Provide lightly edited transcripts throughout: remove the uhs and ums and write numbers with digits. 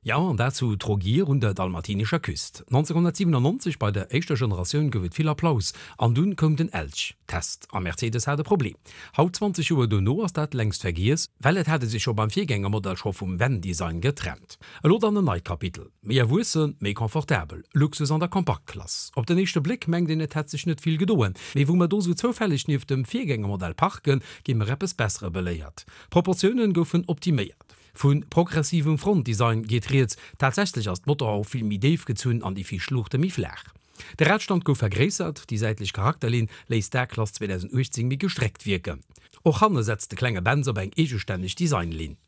Jo, an dat zu Trogir un der dalmatinescher Küst. 1997 bei der éischter Generatioun gouf et vill Applaus an dunn koum den Elch Test a Mercedes hat e Problem. Haut 20 Joer dono ass dat längst vergiess, well et hat e sech jo beim Virgängermodell scho vum Van-Design getrennt. Elo dann en neit Kapitel, méi erwuessen, méi confortabel, Luxus an der Kompaktklass. Op den éischte Bléck mengt een et hätt sech net vill gedoen, mee wou mer do sou zoufälleg nieft dem Virgängermodell parken, gi mer eppes Bessere beléiert. D'Proportiounen goufen optiméiert. Vu progressivem Frontdesign geet rieds, tatsächlech ass d'Motorhauf vill méi déif gezunn an déi viischt Luuchte méi flaach. De Radstand gouf vergréissert, déi säitlech Charakterlinn léisst d'A-Klass 2018 méi gestreckt wierken. Och hanne setzt de klenge Benz op eng eegestänneg Designlinn.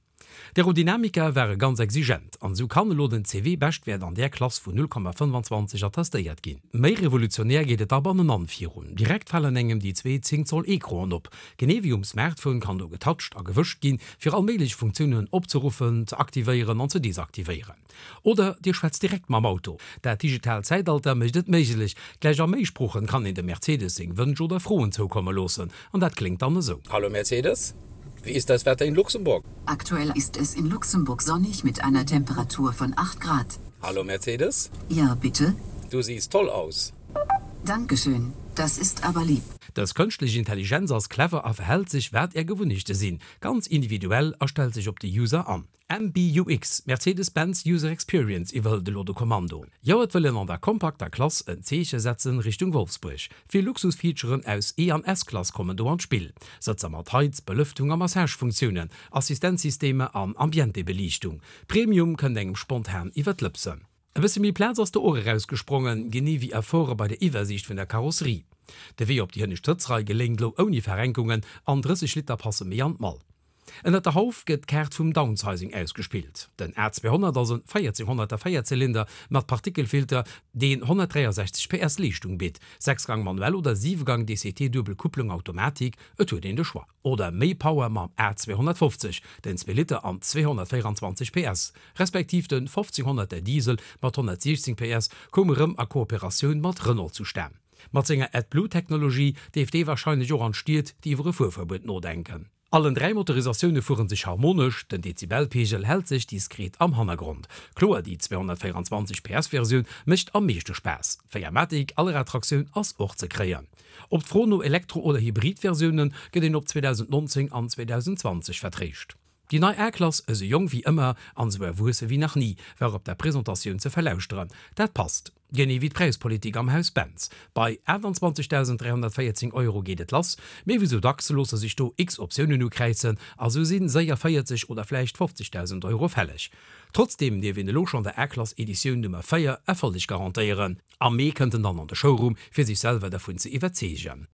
D'Aerodynamika ware ganz exigent an esou kann elo den CW-Beschtwäert an där Klass vun 0,25 attestéiert ginn. Méi revolutionär geet et da bannenan virun. Direkt falen engem déi zwee 10 Zoll Ecranen op. Genee wéi um Smartphone kann do getoucht a gewëscht ginn, fir all méiglech Funktiounen opzeruffen, ze aktivéieren an ze desaktivéieren. Oder Dir schwätzt direkt mam Auto. Dat digitaalt Zäitalter mécht et méiglech. Gläich a méi Sproochen kann een dem Mercedes seng Wënsch oder Froen zoukomme loossen. An dat kléngt dann esou. Hallo Mercedes, wie ist das Wetter in Luxemburg? Aktuell ist es in Luxemburg sonnig mit einer Temperatur von 8 Grad. Hallo Mercedes. Ja, bitte? Du siehst toll aus. Dankeschön, das ist aber lieb. Dës kënschtlech Intelligenz ass clever a verhält sech, wat är Gewunnechte sinn, ganz individuell a stellt sech op de User an. MBUX, Mercedes-Benz User Experience, iwwerhëlt elo de Kommando. Jo, et wëll een an der kompakter Klass en Zeeche setzen Richtung Wolfsbuerg. Vill Luxusfeaturen aus E an S-Klass kommen do an d'Spill, Sëtzer mat Heiz-, Belëftung a Massagefunktiounen, Assistenzsystemer an Ambientebeliichtung. Premium kënnt engem spontan iwwer d'Lëpsen. E bësse méi Plaz ass do och erausgesprongen, genee wéi Efforte bei der Iwwersiicht vun der Karosserie. De Wee op déi hënnescht Sëtzrei geléngt elo ouni Verrenkungen an 30 Liter passe méi an d'Mall. Ënnert der Hauf gëtt d'Kaart vum Downsizing ausgespillt. Den A200 ass en 1400er Véierzylinder mat Partikelfilter, deen 163 PS Leeschtung bitt. Sechsgang manuell oder Siwegang DCT duebel Kupplung Automatik, et huet een de Choix. Oder méi Power mam A250, den zwee Liter an 224 PS, respektiv den 1500 er Diesel mat 116 PS koum erëm a Kooperatioun mat Renault zustan. Mat senger AdBlue-Technologie dierft dee warscheinlech och an Stied, déi iwwer e Fuerverbuet nodenken. Allen 3 Motorisatioune fueren sech harmonesch, den Dezibelpegel hält sech diskret am Hannergrond. Kloer, déi 224 PS Versioun mécht am meeschte Spaass. D'Véiermatic Allradtraktioun ass och ze kréien. Op d'Fro no Elektro oder Hybrid-Versioune gëtt een op 2019 an 2020 vertréischt. Déi nei A-Klass, esou jonk wéi ëmmer an esou erwuesse wéi nach ni, war op der Presentatioun ze verlauschteren. Dat passt. Genee wéi d'Präispolitik am Haus Benz. Bei 28.314 Euro geet et lass, mee wéi sou dacks loosse sech do x Optiounen ukräizen a sou si séier 40 oder vläicht 50.000 Euro fälleg. Trotzdeem dierf een elo schonn der A-Klass Editioun Nummer 4 Erfolleg garantéieren. Am Mee kënnt en dann an de Showroom, fir sech selwer dervun ze iwwerzeegen.